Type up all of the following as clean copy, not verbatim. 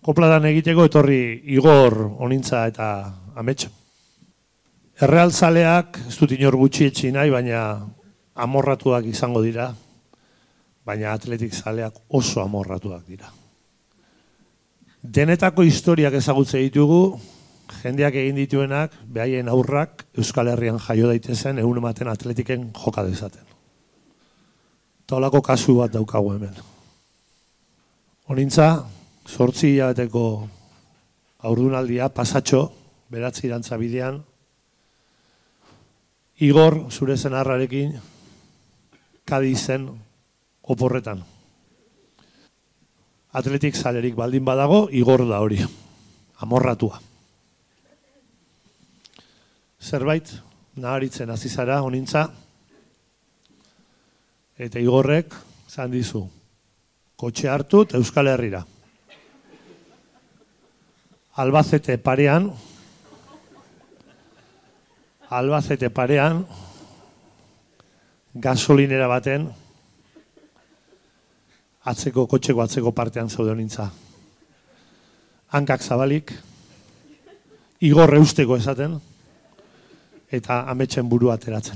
Kopladan egiteko etorri Igor Onintza eta Amets. Errealzaleak ez dut inor gutxietsi nahi, baina amorratuak izango dira, baina atletik zaleak oso amorratuak dira. Denetako historiak ezagutze ditugu, jendeak egin dituenak, behaien aurrak Euskal Herrian jaio daitezen, egun ematen atletiken joka dezaten. Eta holako kasu bat daukagu hemen. Onintza, 8 hilabeteko haurdunaldia, pasatxo, beratzi irantza bidean, Igor, zure senarrarekin, Kadizen oporretan. Atletik zalerik baldin badago, Igor da hori, amorratua. Zerbait, naharitzen hasi zara, Onintza, eta Igorrek, zan dizu, kotxe hartu eta Euskal Herrira. Albacete parean, gasolinera baten, kotxeko atzeko partean zaude Onintza. Hankak zabalik, Igor eusteko esaten, eta Ametsen burua ateratzen.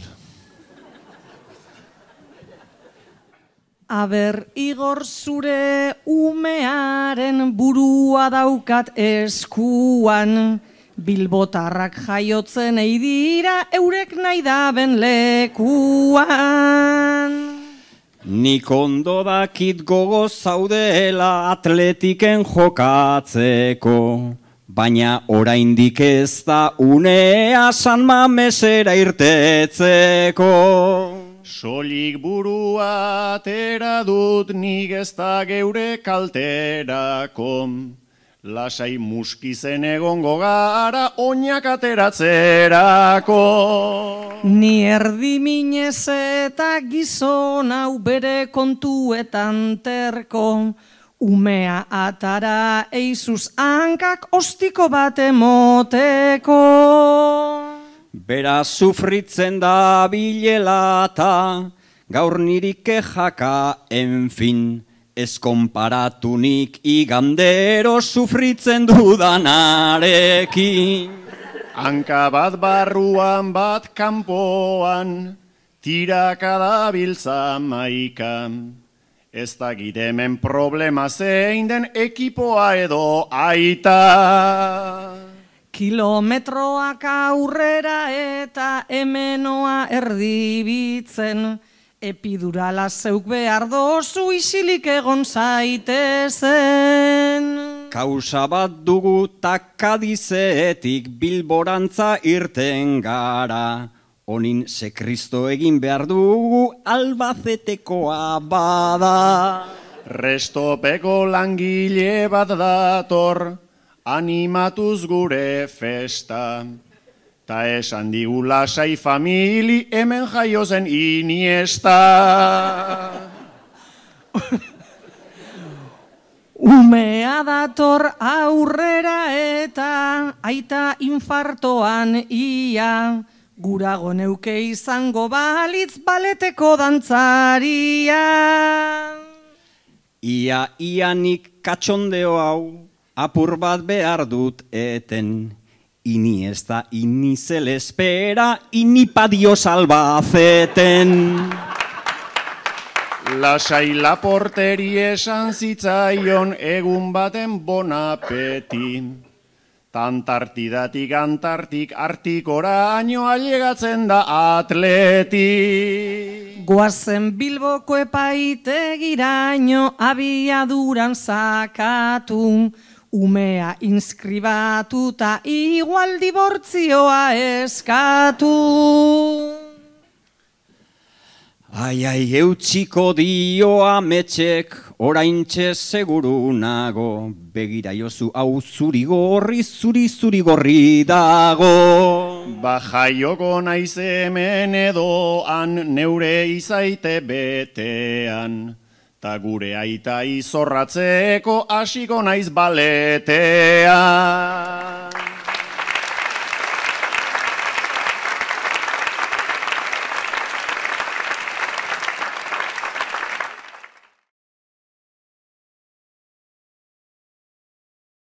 Aber, Igor, zure umearen burua daukat eskuan, bilbotarrak jaiotzen eidira eurek nahi daben lekuan. Nik ondo dakit gogo zaudela atletiken jokatzeko, baina oraindik ez da unea San Mamesera irtetzeko. Soilik burua atera dut nik ez da geure kalterako. Lasai muskizen egongo gara oinak ateratzerako. Ni erdi minez eta gizon hau bere kontuetan terko. Umea atara eizuz hankak ostiko bat emoteko. Bera sufritzen da bilelata, gaur nirik kejaka, enfin, ez konparatunik igandero sufritzen dudanarekin. Hanka bat barruan bat kanpoan, tiraka dabiltza maikan. Ez da hemen problema zein den ekipoa edo aita. Kilometroak aurrera eta hemenoa erdibitzen, epidurala zeuk behar dozu isilik egon zaitezen. Kausa bat dugu takadizeetik Bilborantza irten gara, honin ze Kristo egin behar dugu Albacetekoa bada. Restopeko langile bat dator, animatuz gure festa. Ta esan digu lasai famili hemen jaio zen Iniesta. Umea dator aurrera eta aita infartoan ia, gurago neuke izango balitz baleteko dantzaria. Ianik katxondeo hau apur bat behar dut eten, Iniesta, inizel espera, inipa Dios Albaceten. Lasai Laporteri esan zitzaion egun baten bon apeti. Tantartidatik antartik artikoraino ailegatzen da atleti. Goazen Bilboko epaitegiraino abiaduran sakatu, umea inskribatuta igual dibortzioa eskatu. Ai, eutxiko dio Ametsek, oraintxe seguru nago, begira jozu hau zuri gorri dago. Jaioko naiz hemen edoan, neure izaite betean, ta gure aita izorratzeko hasiko naiz baletean.